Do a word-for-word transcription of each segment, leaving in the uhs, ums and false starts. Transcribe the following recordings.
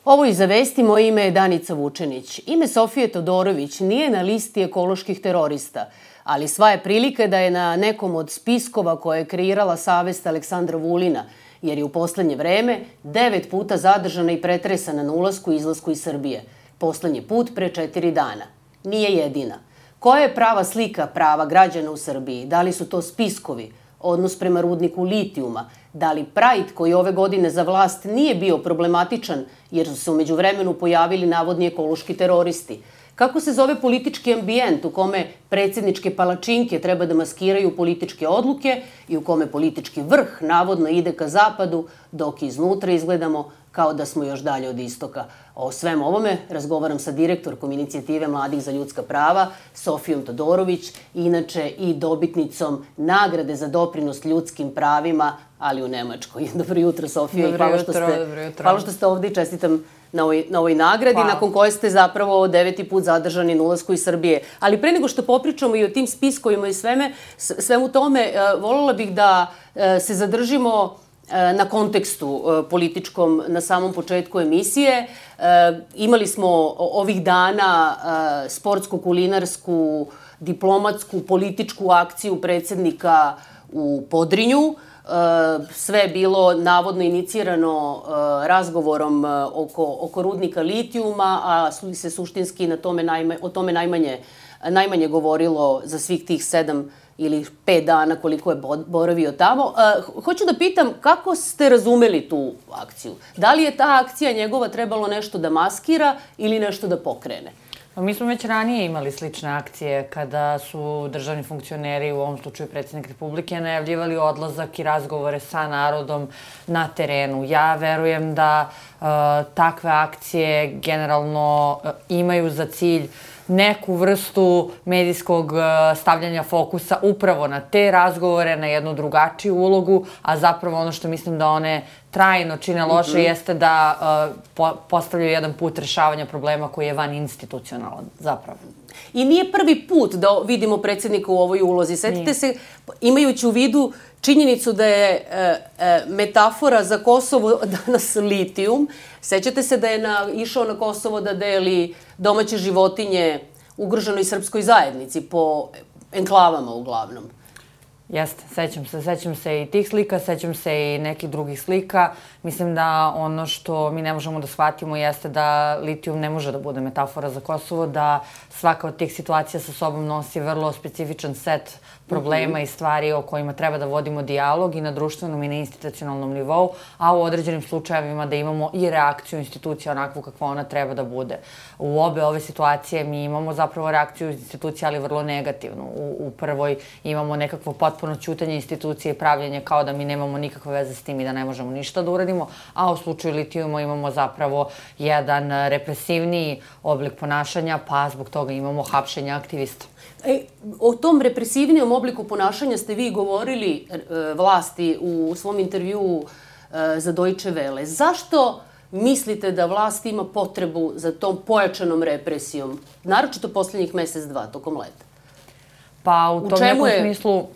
Ovo iza vesti, moje ime je Danica Vučenić. Ime Sofije Todorović nije na listi ekoloških terorista, ali sva je prilika da je na nekom od spiskova koje je kreirala savest Aleksandra Vulina, jer je u poslednje vreme devet puta zadržana i pretresana na ulasku i izlasku iz Srbije. Poslednji put pre četiri dana. Nije jedina. Koja je prava slika prava građana u Srbiji? Da li su to spiskovi? Odnos prema rudniku litijuma? Da li Pride, koji ove godine za vlast nije bio problematičan jer su se umeđu vremenu pojavili navodni ekološki teroristi? Kako se zove politički ambijent u kome predsjedničke palačinke treba da maskiraju političke odluke i u kome politički vrh navodno ide ka zapadu, dok iznutra izgledamo kao da smo još dalje od istoka? O svem ovome razgovaram sa direktorkom inicijative Mladih za ljudska prava, Sofijom Todorović, inače i dobitnicom nagrade za doprinos ljudskim pravima, ali u Nemačkoj. Dobro jutro, Sofija. Dobro jutro, dobro jutro. Hvala što ste ovde i čestitam na ovoj, na ovoj nagradi, hvala, nakon koje ste zapravo deveti put zadržani na ulasku iz Srbije. Ali pre nego što popričamo i o tim spiskovima i sveme, svemu tome, voljela bih da se zadržimo na kontekstu političkom na samom početku emisije. Imali smo ovih dana sportsku, kulinarsku, diplomatsku, političku akciju predsjednika u Podrinju. Sve je bilo navodno inicirano razgovorom oko, oko rudnika litijuma, a se suštinski na tome najma, o tome najmanje, najmanje govorilo za svih tih sedam ili pet dana koliko je boravio tamo. Hoću da pitam kako ste razumeli tu akciju? Da li je ta akcija njegova trebalo nešto da maskira ili nešto da pokrene? Mi smo već ranije imali slične akcije kada su državni funkcioneri, u ovom slučaju predsjednik Republike, najavljivali odlazak i razgovore sa narodom na terenu. Ja verujem da uh, takve akcije generalno uh, imaju za cilj neku vrstu medijskog stavljanja fokusa upravo na te razgovore, na jednu drugačiju ulogu, a zapravo ono što mislim da one trajno čine loše mm-hmm. jeste da uh, po, postavljaju jedan put rešavanja problema koji je van institucionalan, zapravo. I nije prvi put da vidimo predsjednika u ovoj ulozi. Sjetite se, imajući u vidu činjenicu da je e, e, metafora za Kosovo danas litijum, sećate se da je na, išao na Kosovo da deli domaće životinje ugroženoj srpskoj zajednici po enklavama uglavnom. Jeste, sećam se. Sećam se i tih slika, sećam se i nekih drugih slika. Mislim da ono što mi ne možemo da shvatimo jeste da litijum ne može da bude metafora za Kosovo, da svaka od tih situacija sa sobom nosi vrlo specifičan set problema i stvari o kojima treba da vodimo dijalog i na društvenom i na institucionalnom nivou, a u određenim slučajevima da imamo i reakciju institucija onakvu kakva ona treba da bude. U obe ove situacije mi imamo zapravo reakciju institucija, ali vrlo negativnu. U, u prvoj imamo nekakvo potpuno ćutanje institucije i pravljenje kao da mi nemamo nikakve veze s tim i da ne možemo ništa da uradimo, a u slučaju litijuma imamo zapravo jedan represivniji oblik ponašanja, pa zbog toga imamo hapšenje aktivista. E, o tom represivnijom obliku ponašanja ste vi govorili e, vlasti u svom intervjuu e, za Deutsche Welle. Zašto mislite da vlast ima potrebu za tom pojačanom represijom, naročito poslednjih mesec, dva, tokom leta? Pa u tom nekom smislu,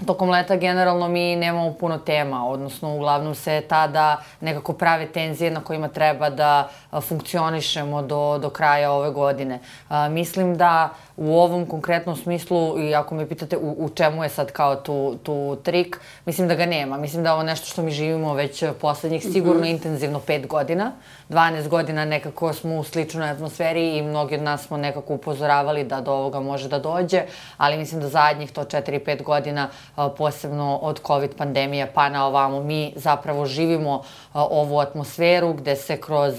tokom leta generalno mi nemamo puno tema, odnosno uglavnom se tada nekako prave tenzije na kojima treba da funkcionišemo do, do kraja ove godine. A, mislim da u ovom konkretnom smislu, i ako me pitate u, u čemu je sad kao tu, tu trik, mislim da ga nema. Mislim da je ovo nešto što mi živimo već poslednjih sigurno mm-hmm. intenzivno pet godina. dvanaest godina nekako smo u sličnoj atmosferi i mnogi od nas smo nekako upozoravali da do ovoga može da dođe, ali mislim da zadnjih to četiri pet godina, posebno od COVID pandemije pa na ovamo, mi zapravo živimo ovu atmosferu gde se kroz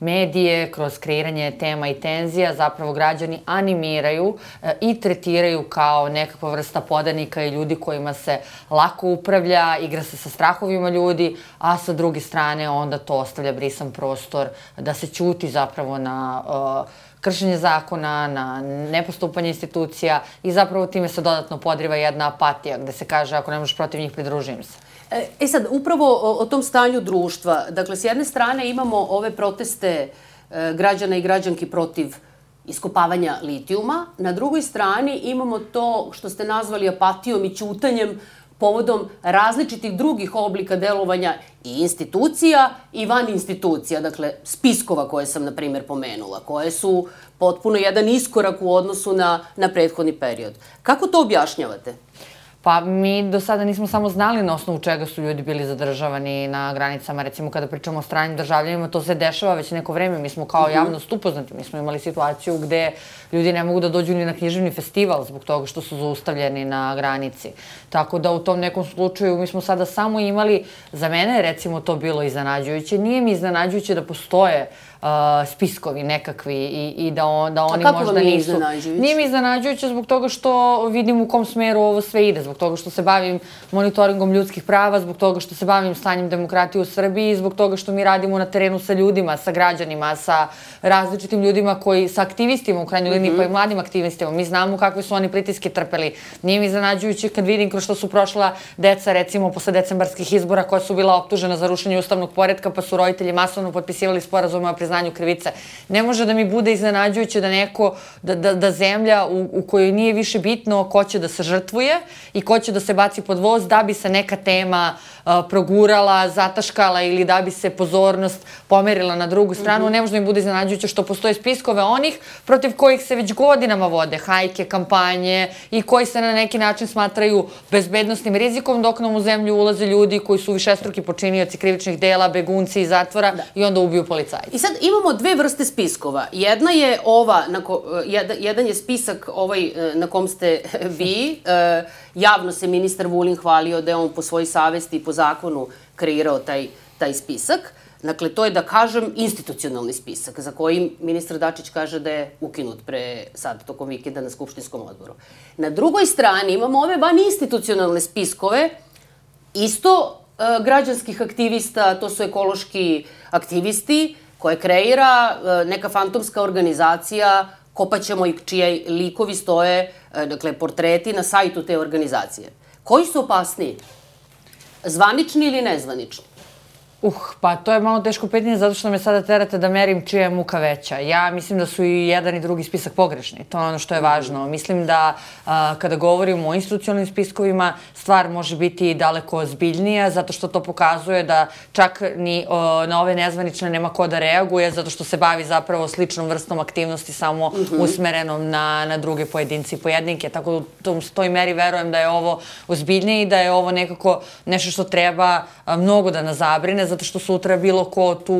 medije, kroz kreiranje tema i tenzija zapravo građani animiraju i tretiraju kao nekakva vrsta podanika i ljudi kojima se lako upravlja, igra se sa strahovima ljudi, a sa druge strane onda to ostavlja brisan prostor da se ćuti zapravo na uh, kršenje zakona, na nepostupanje institucija i zapravo time se dodatno podriva jedna apatija gde se kaže ako ne možeš protiv njih, pridružim se. E sad, upravo o, o tom stanju društva. Dakle, s jedne strane imamo ove proteste e, građana i građanki protiv iskopavanja litijuma. Na drugoj strani imamo to što ste nazvali apatijom i ćutanjem povodom različitih drugih oblika delovanja i institucija i van institucija, dakle spiskova koje sam, na primjer, pomenula, koje su potpuno jedan iskorak u odnosu na, na prethodni period. Kako to objašnjavate? Pa mi do sada nismo samo znali na osnovu čega su ljudi bili zadržavani na granicama. Recimo kada pričamo o stranim državljanima, to se dešava već neko vreme. Mi smo kao javnost upoznati. Mi smo imali situaciju gde ljudi ne mogu da dođu ni na književni festival zbog toga što su zaustavljeni na granici. Tako da u tom nekom slučaju mi smo sada samo imali, za mene recimo to bilo iznenađujuće. Nije mi iznenađujuće da postoje spiskovi nekakvi i da oni možda nisu... A kako vam nije iznenađujuće? Nije mi iznenađujuće zbog toga što vidim u kom smeru ovo sve ide, zbog toga što se bavim monitoringom ljudskih prava, zbog toga što se bavim stanjem demokratije u Srbiji, zbog toga što mi radimo na terenu sa ljudima, sa građanima, sa različitim ljudima koji, sa aktivistima u krajnjoj liniji, pa i mladim aktivistima. Mi znamo kakve su oni pritiske trpeli. Nije mi iznenađujuće kad vidim kroz što su prošla deca, recimo, posle decembarskih izbora koja su bila optužena za rušenje ustavnog poretka, pa su roditelji masovno potpisivali sporazume o priznanju krivice. Ne može da mi bude iznenađujuće da neko, da zemlja u kojoj nije više bitno ko će da se žrtvuje i ko će da se baci pod voz da bi se neka tema progurala, zataškala ili da bi se pozornost pomerila na drugu stranu. Ne može da mi bude iznenađujuće što postoje spiskove onih protiv kojih se već godinama vode hajke, kampanje i koji se na neki način smatraju bezbednostnim rizikom dok nam u zemlju ulaze ljudi koji su višestruki počinioci krivičnih dela, begunci iz zatvora i onda ubiju policajci. I sad imamo dve vrste spiskova. Jedna je ova, jedan je spisak ovaj na kom ste vi. Javno se ministar Vulin hvalio da je on po svojoj savesti i po zakonu kreirao taj spisak. Dakle, to je, da kažem, institucionalni spisak, za koji ministar Dačić kaže da je ukinut pre sad, tokom vikenda na Skupštinskom odboru. Na drugoj strani imamo ove van institucionalne spiskove, isto građanskih aktivista, to su ekološki aktivisti, koje kreira neka fantomska organizacija, Kopaćemo i čiji likovi stoje, dakle, portreti na sajtu te organizacije. Koji su opasniji? Zvanični ili nezvanični? Uh, pa to je malo teško pitanje zato što me sada terate da merim čija je muka veća. Ja mislim da su i jedan i drugi spisak pogrešni. To je ono što je važno. Mislim da kada govorimo o institucionalnim spiskovima, stvar može biti daleko ozbiljnija zato što to pokazuje da čak ni na ove nezvanične nema ko da reaguje zato što se bavi zapravo sličnom vrstom aktivnosti samo usmerenom na druge pojedinci i pojedinke. Tako da u toj meri verujem da je ovo ozbiljnije i da je ovo nekako nešto što treba mnogo da nas zabrine zato što sutra bilo ko tu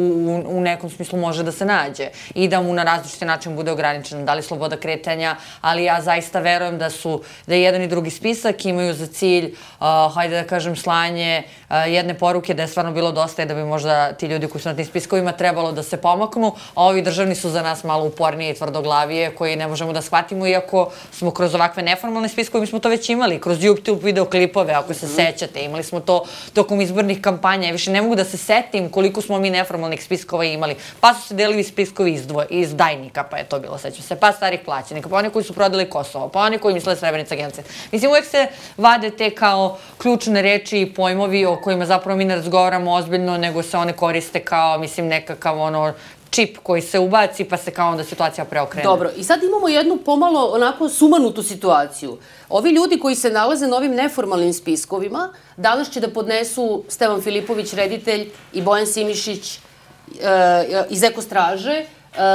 u nekom smislu može da se nađe i da mu na različiti način bude ograničeno, da li sloboda kretanja, ali ja zaista verujem da su, da jedan i drugi spisak imaju za cilj, hajde da kažem, slanje jedne poruke da je stvarno bilo dosta i da bi možda ti ljudi koji su na tim spiskovima trebalo da se pomaknu, a ovi državni su za nas malo upornije i tvrdoglavije koji ne možemo da shvatimo, iako smo kroz ovakve neformalne spiskove, mi smo to već imali, kroz YouTube videoklipove, ako se sećate, imali smo to tokom izbornih kampanja, više ne mogu da se setim koliko smo mi neformalnih spiskova imali. Pa su se delili spiskovi iz Dajnika, pa je to bilo, sećam se, pa starih plaćenika, pa oni koji su prodali Kosovo, pa oni koji misle Srebrenica genocid. Mislim, uvek se vade te kao ključne reči i pojmovi o kojima zapravo mi ne razgovaramo ozbiljno, nego se one koriste kao, mislim, nekakav ono čip koji se ubaci, pa se kao onda situacija preokrene. Dobro, i sad imamo jednu pomalo onako sumanutu situaciju. Ovi ljudi koji se nalaze na ovim neformalnim spiskovima, danas će da podnesu Stevan Filipović, reditelj, i Bojan Simišić iz Ekostraže,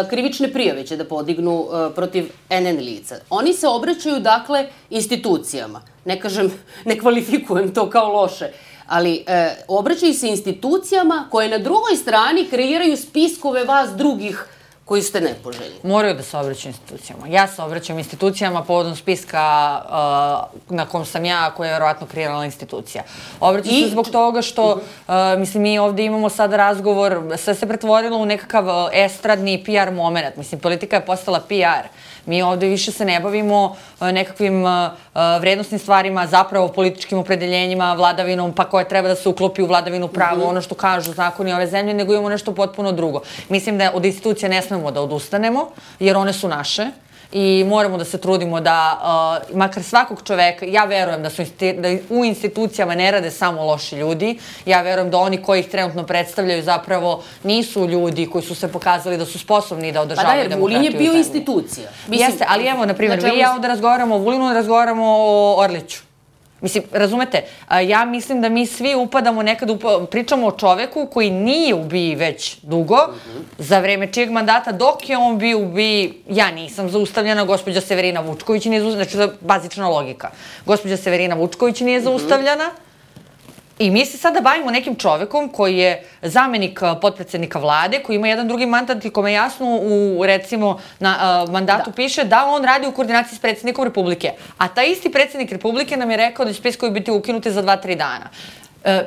krivične prijave će da podignu protiv en en lica. Oni se obraćaju, dakle, institucijama. Ne kažem, ne kvalifikujem to kao loše, ali obraćaju se institucijama koje na drugoj strani kreiraju spiskove vas drugih koji ste nepoželjni. Moraju da se obraćaju institucijama. Ja se obraćam institucijama povodom spiska na kom sam ja, koja je verovatno kreirala institucija. Obraćam se zbog toga što, mislim, mi ovde imamo sada razgovor, sve se pretvorilo u nekakav estradni pi ar moment. Mislim, politika je postala pi ar. Mi ovde više se ne bavimo nekakvim vrednostnim stvarima, zapravo političkim opredeljenjima, vladavinom, pa koja treba da se uklopi u vladavinu prava, ono što kažu zakoni ove zemlje, nego imamo nešto potpuno drugo. Mislim da od institucija ne smemo da odustanemo, jer one su naše. I moramo da se trudimo da, makar svakog čoveka, ja verujem da u institucijama ne rade samo loši ljudi, ja verujem da oni koji ih trenutno predstavljaju zapravo nisu ljudi koji su se pokazali da su sposobni da održavaju demokratiju u zemlji. Pa da, jer Vulin je bio institucija. Jeste, ali evo, na primjer, vi i ja ovde razgovaramo o Vulinu, razgovaramo o Orliću. Mislim, razumete, ja mislim da mi svi upadamo nekad, pričamo o čoveku koji nije u B I već dugo, za vreme čijeg mandata, dok je on bio u B I, ja nisam zaustavljena, gospođa Severina Vučković nije zaustavljena, znači to je bazična logika. Gospođa Severina Vučković nije zaustavljena, i mi se sada bavimo nekim čovekom koji je zamenik potpredsednika vlade, koji ima jedan drugi mandat i kome jasno u, recimo, na mandatu piše da on radi u koordinaciji s predsednikom Republike. A taj isti predsednik Republike nam je rekao da će spiskovi biti ukinuti za dva, tri dana.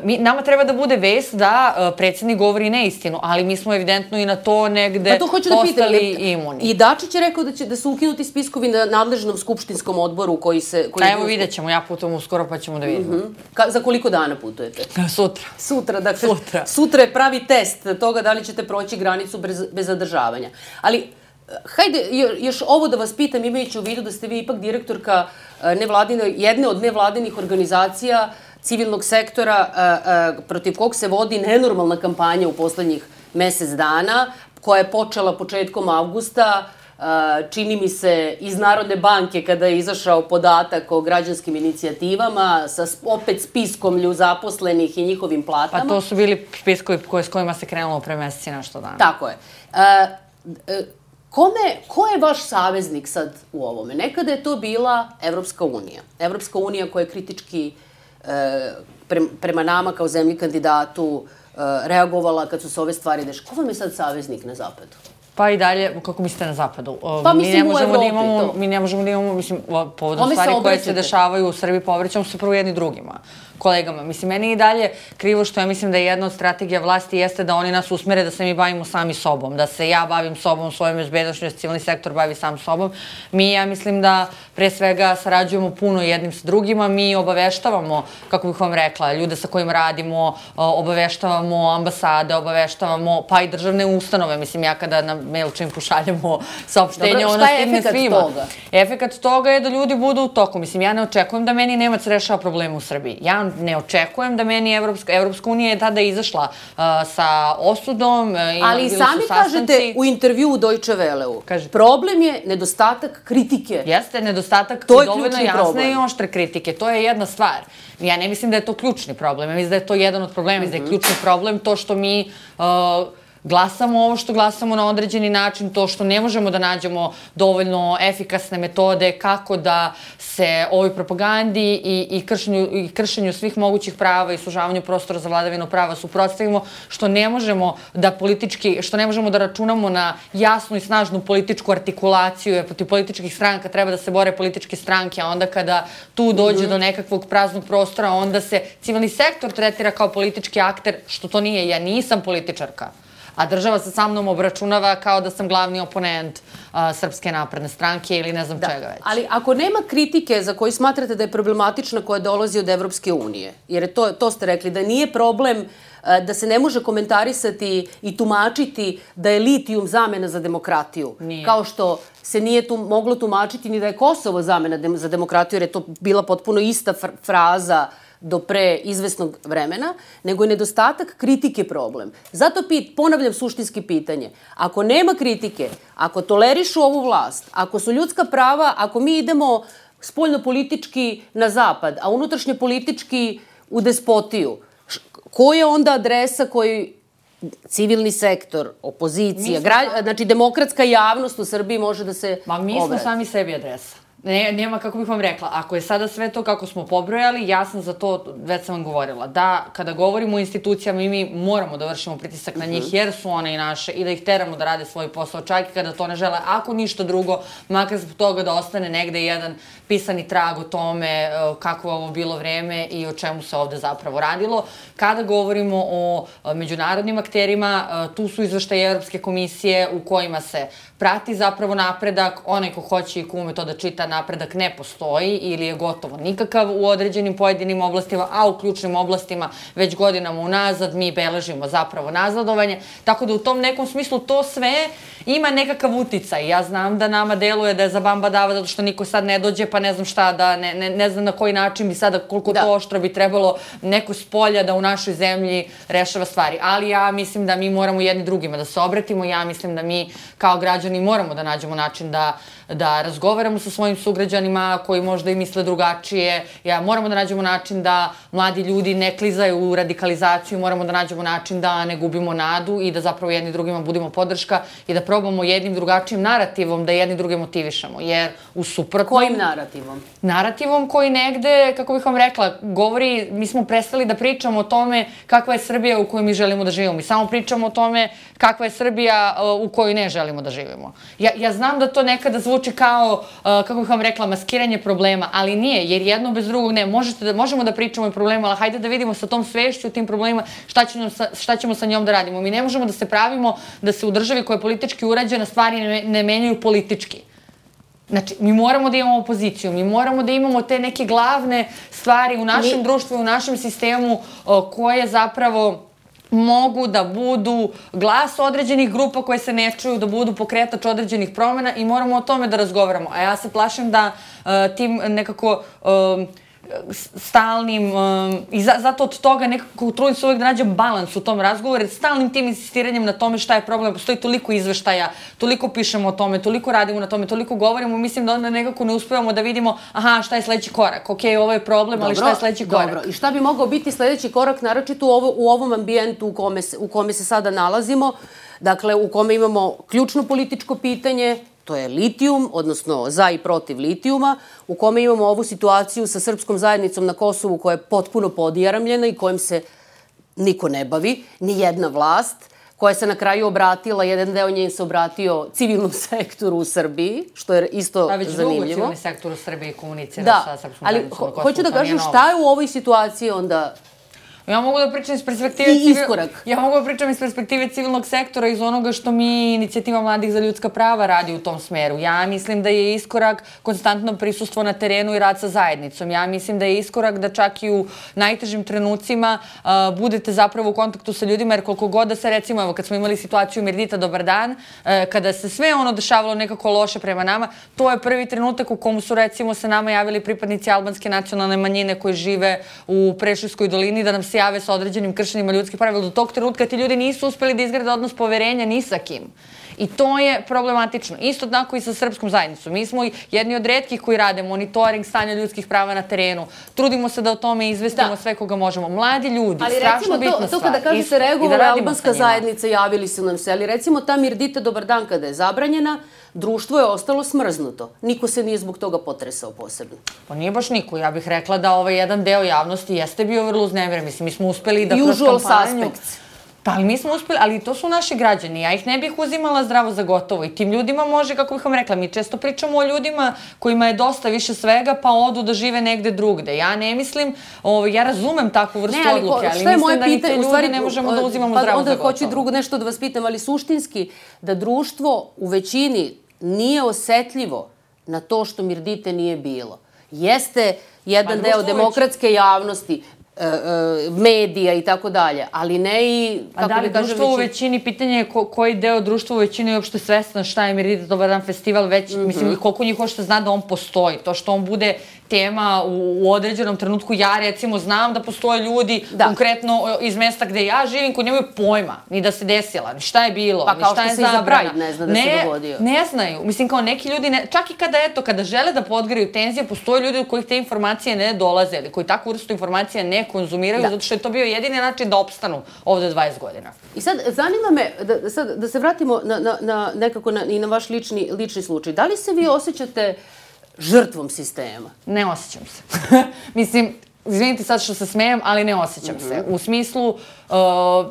Nama treba da bude vest da predsednik govori neistinu, ali mi smo evidentno i na to negde postali imuni. I Dačić je rekao da su ukinuti spiskovi na nadležnom skupštinskom odboru koji se... Evo vidjet ćemo, ja putujem uskoro pa ćemo da vidimo. Za koliko dana putujete? Sutra. Sutra, dakle, sutra je pravi test toga da li ćete proći granicu bez zadržavanja. Ali, hajde, još ovo da vas pitam, imajući u vidu da ste vi ipak direktorka jedne od nevladinih organizacija civilnog sektora protiv kog se vodi nenormalna kampanja u poslednjih mesec dana, koja je počela početkom avgusta, čini mi se, iz Narodne banke kada je izašao podatak o građanskim inicijativama, sa opet spiskom zaposlenih i njihovim platama. Pa to su bili spiskovi s kojima se krenulo pre meseci nešto dana. Tako je. Ko je vaš saveznik sad u ovome? Nekada je to bila Evropska unija. Evropska unija koja je kritički prema nama kao zemlji kandidatu reagovala kad su se ove stvari dešavale. Ko vam je sad saveznik na zapadu? Pa i dalje, kako mislite na zapadu? Pa mislim u Evropi to. Mi ne možemo da imamo, mislim, povodom stvari koje se dešavaju u Srbiji, povrećamo se prvo jedni drugima, kolegama. Mislim, meni je i dalje krivo što ja mislim da jedna od strategija vlasti jeste da oni nas usmere da se mi bavimo sami sobom, da se ja bavim sobom, svojom bezbednošću, da se civilni sektor bavi sam sobom. Mi, ja mislim da pre svega sarađujemo puno jednim sa drugima, mi obaveštavamo, kako bih vam rekla, ljude sa kojima radimo, obaveštavamo ambasade, obaveštavamo pa i državne ustanove. Mislim, ja kada na MailChimp pošaljemo saopštenje, ono stigne svima. Šta je efekat toga? Efekat toga je da ljudi budu u toku. Mislim, ja ne očekujem da meni Nemac rešava probleme u Srbiji. Ja ne očekujem da meni Evropska unija je tada izašla sa osudom. Ali sami kažete u intervju u Deutsche Welleu, problem je nedostatak kritike. Jeste, nedostatak dovoljno jasne i oštre kritike. To je jedna stvar. Ja ne mislim da je to ključni problem. Ja mislim da je to jedan od problema. Da je ključni problem to što mi glasamo ovo što glasamo na određeni način, to što ne možemo da nađemo dovoljno efikasne metode kako da se ovoj propagandi i kršenju svih mogućih prava i sužavanju prostora za vladavinu prava suprotstavimo, što ne možemo da politički, što ne možemo da računamo na jasnu i snažnu političku artikulaciju, jer protiv političkih stranaka treba da se bore političke stranke, a onda kada tu dođe do nekakvog praznog prostora, onda se civilni sektor tretira kao politički akter, što to nije. Ja nisam političarka. A država se sa mnom obračunava kao da sam glavni oponent Srpske napredne stranke ili ne znam čega već. Ali ako nema kritike za koju smatrate da je problematična koja dolazi od Evropske unije, jer to ste rekli, da nije problem da se ne može komentarisati i tumačiti da je litijum zamena za demokratiju. Kao što se nije moglo tumačiti ni da je Kosovo zamena za demokratiju, jer je to bila potpuno ista fraza do pre izvesnog vremena, nego je nedostatak kritike problem. Zato ponavljam suštinski pitanje. Ako nema kritike, ako tolerišu ovu vlast, ako su ljudska prava, ako mi idemo spoljno-politički na zapad, a unutrašnje politički u despotiju, ko je onda adresa koji civilni sektor, opozicija, znači demokratska javnost u Srbiji može da se obrati? Ma mi smo sami sebi adresa. Nema, kako bih vam rekla, ako je sada sve to kako smo pobrojali, ja sam za to, već sam vam govorila, da kada govorimo o institucijama i mi moramo da vršimo pritisak na njih, jer su one i naše, i da ih teramo da rade svoj posao, čak i kada to ne žele, ako ništa drugo, makar zbog toga da ostane negde jedan pisani trag o tome kako je ovo bilo vreme i o čemu se ovde zapravo radilo. Kada govorimo o međunarodnim akterima, tu su izveštaje Evropske komisije u kojima se prati zapravo napredak, onaj ko hoće i ko ume to da čita, napredak ne postoji ili je gotovo nikakav u određenim pojedinim oblastima, a u ključnim oblastima već godinama unazad mi beležimo zapravo nazadovanje. Tako da u tom nekom smislu to sve ima nekakav uticaj. Ja znam da nama deluje da je za bamba dava zato što niko sad ne dođe pa ne znam šta da, ne znam na koji način bi sada, koliko to oštro bi trebalo neko s polja da u našoj zemlji rešava stvari. Ali ja mislim da mi moramo jedni drugima da se obratimo, ja mislim da mi kao građani moramo da nađemo način da da razgovaramo sa svojim sugrađanima koji možda i misle drugačije. Ja, moramo da nađemo način da mladi ljudi ne klizaju u radikalizaciju, moramo da nađemo način da ne gubimo nadu i da zapravo jedni drugima budimo podrška i da probamo jednim drugačijim narativom da jedni druge motivišemo. Jer u suprotnom... Kojim narativom? Narativom koji negde, kako bih vam rekla, govori, mi smo prestali da pričamo o tome kakva je Srbija u kojoj mi želimo da živimo. Mi samo pričamo o tome kakva je Srbija u kojoj ne želimo da živimo. Ja, ja znam da to nekada zvuči kao, kako bih vam rekla, maskiranje problema, ali nije, jer jedno bez drugog ne. Možete da, možemo da pričamo o problema, ali hajde da vidimo sa tom svešću, tim problemima, šta ćemo, sa, šta ćemo sa njom da radimo. Mi ne možemo da se pravimo da se u državi koja je politički urađena stvari ne, ne menjaju politički. Znači, mi moramo da imamo opoziciju, mi moramo da imamo te neke glavne stvari u našem mi... društvu, u našem sistemu koje zapravo mogu da budu glas određenih grupa koje se ne čuju, da budu pokretač određenih promjena i moramo o tome da razgovaramo. A ja se plašim da uh, tim nekako... Uh, stalnim um, i za, zato od toga nekako trudim se uvijek da nađem balans u tom razgovoru, jer stalnim tim insistiranjem na tome šta je problem, postoji toliko izveštaja, toliko pišemo o tome, toliko radimo na tome, toliko govorimo, mislim da onda nekako ne uspevamo da vidimo aha, šta je sledeći korak, ok, ovo je problem, ali šta je sledeći korak. Dobro, i šta bi mogao biti sledeći korak, naročito u, ovo, u ovom ambijentu u kome, se, u kome se sada nalazimo, dakle, u kome imamo ključno političko pitanje, to je litijum, odnosno za i protiv litijuma, u kome imamo ovu situaciju sa srpskom zajednicom na Kosovu koja je potpuno podjaramljena i kojim se niko ne bavi, ni jedna vlast, koja se na kraju obratila, jedan deo nje se obratio civilnom sektoru u Srbiji, što je isto zanimljivo. Da, već dugo civilni sektor u Srbiji komunicira sa srpskom zajednicom na Kosovu. Hoću da kažem šta je u ovoj situaciji onda... Ja mogu da pričam iz perspektive... I iskorak. Ja mogu da pričam iz perspektive civilnog sektora, iz onoga što mi, Inicijativa mladih za ljudska prava, radi u tom smeru. Ja mislim da je iskorak konstantno prisustvo na terenu i rad sa zajednicom. Ja mislim da je iskorak da čak i u najtežim trenucima uh, budete zapravo u kontaktu sa ljudima, jer koliko god da se, recimo, evo, kad smo imali situaciju Mirdita, dobar dan, uh, kada se sve ono dešavalo nekako loše prema nama, to je prvi trenutak u komu su, recimo, se nama javili pripadnici albanske nacionalne manjine koji žive u Preševskoj dolini, da nam se jave sa određenim kršenjima ljudskih prava. Do tog trenutka ti ljudi nisu uspeli da izgrade odnos poverenja ni sa kim. I to je problematično. Isto tako i sa srpskom zajednicom. Mi smo jedni od retkih koji rade monitoring stanja ljudskih prava na terenu. Trudimo se da o tome izvestimo sve koga možemo. Mladi ljudi, strašno bitna stvar. Ali recimo to kada kažete reagovala albanska zajednica, javili su nam se, ali recimo ta Mirdita, dobar dan, kada je zabranjena, društvo je ostalo smrznuto. Niko se nije zbog toga potresao posebno. Pa nije baš niko. Ja bih rekla da ovaj jedan deo javnosti jeste bio vrlo uznemiren. Mislim, mi smo uspeli da kroz kampanju... Usual suspects. Pa, ali mi smo uspeli, ali to su naši građani. Ja ih ne bih uzimala zdravo za gotovo. I tim ljudima može, kako bih vam rekla, mi često pričamo o ljudima kojima je dosta više svega, pa odu da žive negde drugde. Ja ne mislim, ja razumem takvu vrstu odluke, ali mislim da ni te ljude ne možemo da uzimamo zdravo za gotovo. Onda hoću drugo nešto da vas pitam, ali suštinski da društvo u većini nije osetljivo na to što Mirdite nije bilo. Jeste jedan deo demokratske javnosti, medija i tako dalje, ali ne i... A da li društvo u većini, pitanje je koji deo društva u većini je uopšte svestan šta je Mirdita dobar dan festival, već, mislim, koliko njih uopšte zna da on postoji. To što on bude tema u određenom trenutku, ja recimo znam da postoje ljudi konkretno iz mesta gde ja živim koji nemaju pojma, ni da se desila, ni šta je bilo, ni šta je zabrana. Pa kao što se i za Pride ne zna da se dogodio. Ne znaju. Mislim, kao neki ljudi, čak i kada, eto, kada žele da podgriju tenzije, postoje ljudi od kojih te informacije ne dolaze ili koji takvu vrstu informacija ne konzumiraju, zato što je to bio jedini način da opstanu ovde dvadeset godina. I sad, zanima me, da se vratimo nekako i na vaš lični slučaj. Da li se vi osjećate žrtvom sistema? Ne osjećam se. Mislim, izvinite sad što se smejem, ali ne osjećam se. U smislu,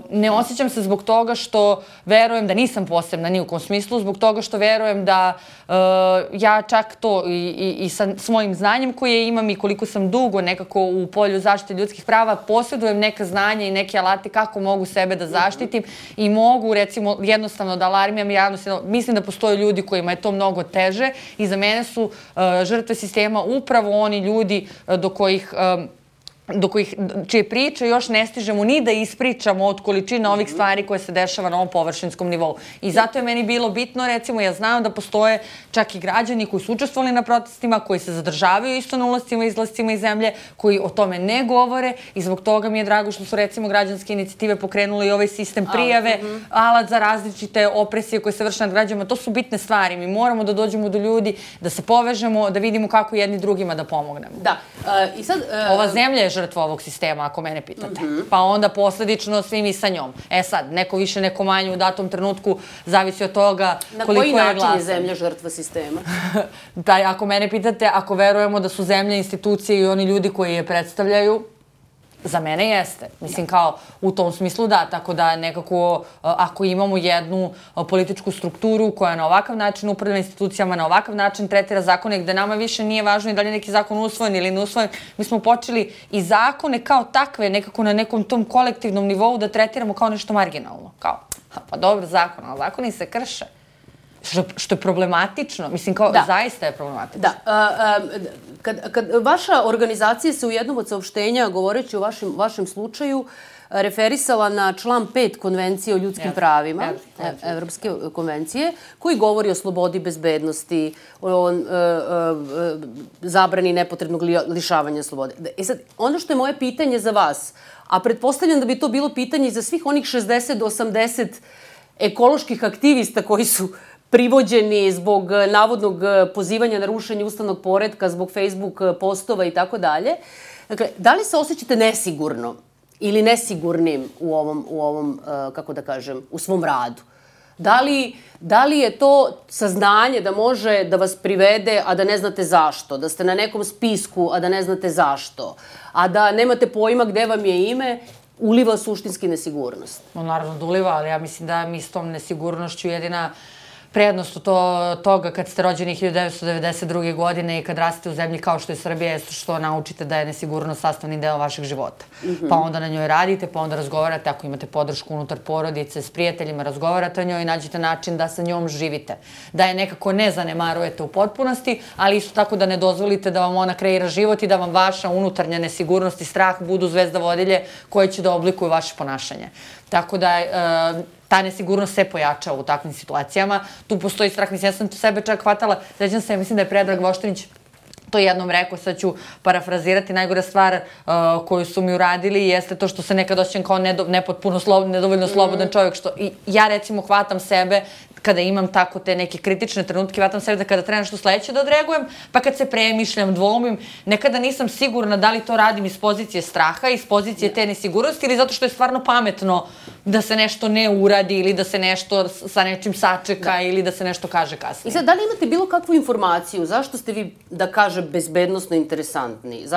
ne osjećam se zbog toga što verujem da nisam posebna ni u kom smislu, zbog toga što verujem da ja čak to i sa svojim znanjem koje imam i koliko sam dugo nekako u polju zaštite ljudskih prava, posjedujem neka znanja i neke alate kako mogu sebe da zaštitim i mogu, recimo, jednostavno da alarmiram javnost. Mislim da postoje ljudi kojima je to mnogo teže i za mene su žrtve sistema upravo oni ljudi do kojih do kojih, čije priče još ne stižemo ni da ispričamo od količine ovih stvari koje se dešava na ovom površinskom nivou. I zato je meni bilo bitno, recimo, ja znam da postoje čak i građani koji su učestvovali na protestima, koji se zadržavaju isto na ulascima i izlascima iz zemlje, koji o tome ne govore i zbog toga mi je drago što su, recimo, građanske inicijative pokrenule i ovaj sistem prijave, alat za različite opresije koje se vrše nad građanima. To su bitne stvari. Mi moramo da dođemo do ljudi, da se povežemo, da vidimo kako jedni drugima da pomognemo. Da. I sad... Ova zemlja je žrtva ovog sistema, ako mene pitate. Pa onda posledično svi mi sa njom. E sad, neko više, neko manje u datom trenutku, zavisi od toga koliko je glasan. Na koji način je zemlja žrtva sistema? Da, ako mene pitate, ako verujemo da su zemlja institucije i oni ljudi koji je predstavljaju, za mene jeste. Mislim, kao u tom smislu da, tako da nekako ako imamo jednu političku strukturu koja na ovakav način upravlja institucijama, na ovakav način tretira zakone, gde nama više nije važno i da li je neki zakon usvojen ili ne usvojen, mi smo počeli i zakone kao takve nekako na nekom tom kolektivnom nivou da tretiramo kao nešto marginalno. Kao, pa dobro, zakon, ali zakoni se krše. Što je problematično. Mislim, kao, zaista je problematično. Da. Kad vaša organizacija se u jednom od saopštenja, govoreći o vašem slučaju, referisala na član pet Konvencije o ljudskim pravima, Evropske konvencije, koji govori o slobodi, bezbednosti, o zabrani nepotrebnog lišavanja slobode. E sad, ono što je moje pitanje za vas, a pretpostavljam da bi to bilo pitanje i za svih onih šezdeset do osamdeset ekoloških aktivista koji su privođeni zbog navodnog pozivanja na rušenje ustavnog poretka, zbog Facebook postova i tako dalje. Dakle, da li se osjećate nesigurno ili nesigurnim u ovom, u ovom, kako da kažem, u svom radu? Da li, da li je to saznanje da može da vas privede, a da ne znate zašto? Da ste na nekom spisku, a da ne znate zašto? A da nemate pojma gde vam je ime? Uliva suštinski nesigurnost? No, naravno da uliva, ali ja mislim da mi s tom nesigurnošću jedina prednost toga kad ste rođeni hiljadu devetsto devedeset druge. godine i kad rastete u zemlji kao što je Srbija je što naučite da je nesigurnost sastavni deo vašeg života. Pa onda na njoj radite, pa onda razgovarate, ako imate podršku unutar porodice, s prijateljima, razgovarate o njoj i nađete način da sa njom živite. Da je nekako ne zanemarujete u potpunosti, ali isto tako da ne dozvolite da vam ona kreira život i da vam vaša unutarnja nesigurnost i strah budu zvezda vodilje koje će da oblikuju vaše ponašanje. Tako da ta nesigurnost se pojača u takvim situacijama. Tu postoji strah. Mislim, ja sam sebe čak hvatala, sećam se, mislim da je Predrag Voštinić to jednom rekao, sad ću parafrazirati, najgora stvar koju su mi uradili jeste to što se nekad osjećam kao nepotpuno, nedovoljno slobodan čovjek. I ja recimo hvatam sebe kada imam tako te neke kritične trenutke, hvatam sebe da kada treba nešto sledeće da odreagujem, pa kad se premišljam, dvomim, nekada nisam sigurna da li to radim iz pozicije straha, iz pozicije te nesigurnosti ili zato što je stvarno pametno da se nešto ne uradi ili da se nešto sa nečim sačeka ili da se nešto kaže kasnije. I sad, da li imate bilo kakvu informaciju? Zašto ste vi, da kažem, bezbednosno interesantni?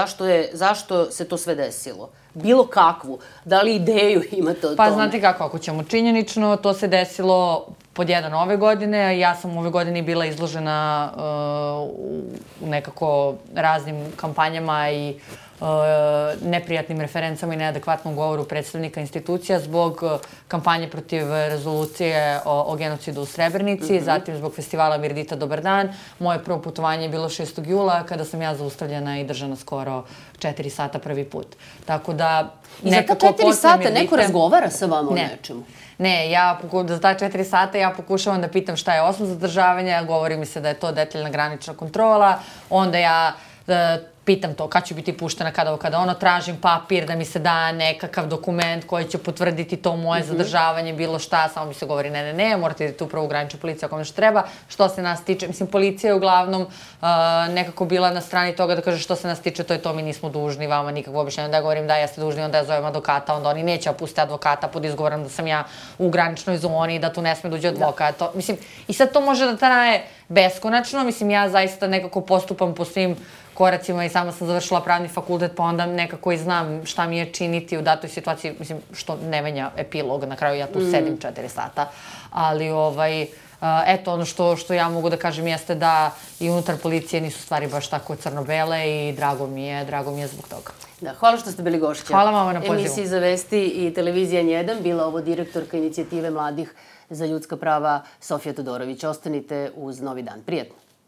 Zašto se to sve desilo? Bilo kakvu? Da li ideju imate o tome? Pa znate kako, ako ćemo činjenično, to se desilo pod jedan ove godine. Ja sam ove godine bila izložena u nekako raznim kampanjama i neprijatnim referencama i neadekvatnom govoru predstavnika institucija zbog kampanje protiv rezolucije o genocidu u Srebrenici, zatim zbog festivala Mirdita Dobar dan. Moje prvo putovanje je bilo šestog jula kada sam ja zaustavljena i držana skoro četiri sata prvi put. Tako da... I za ta četiri sata neko razgovara sa vama o nečemu? Ne, za ta četiri sata ja pokušavam da pitam šta je osnov zadržavanja, govori mi se da je to detaljna granična kontrola, onda ja pitam to kad ću biti puštena, kada ovo, kada ono, tražim papir da mi se da nekakav dokument koji će potvrditi to moje zadržavanje, bilo šta, samo mi se govori ne, ne, ne, morate idete upravo u graničnu policiju ako nešto treba. Što se nas tiče, mislim, policija je uglavnom nekako bila na strani toga da kaže što se nas tiče, to je to, mi nismo dužni vama nikakvo objašnjenje, da ja govorim da jeste dužni, onda ja zovem advokata, onda oni neće pustiti advokata pod izgovorom da sam ja u graničnoj zoni i da tu ne sme dođe advokat. Mislim, i sad to može da traje beskonačno, mislim, ja zaista nekako postupam po svim koracima i sama sam završila pravni fakultet, pa onda nekako i znam šta mi je činiti u datoj situaciji, mislim, što ne menja epilog, na kraju ja tu sedim četiri sata, ali ovaj, eto, ono što ja mogu da kažem jeste da i unutar policije nisu stvari baš tako crno-bele i drago mi je, drago mi je zbog toga. Da, hvala što ste bili gošća. Hvala vama na pozivu. Emisiji Za vesti i Televizija N jedan, bila ovo direktorka inicijative mladih za ljudska prava Sofija Todorović. Ostanite uz Novi dan. Prijetno.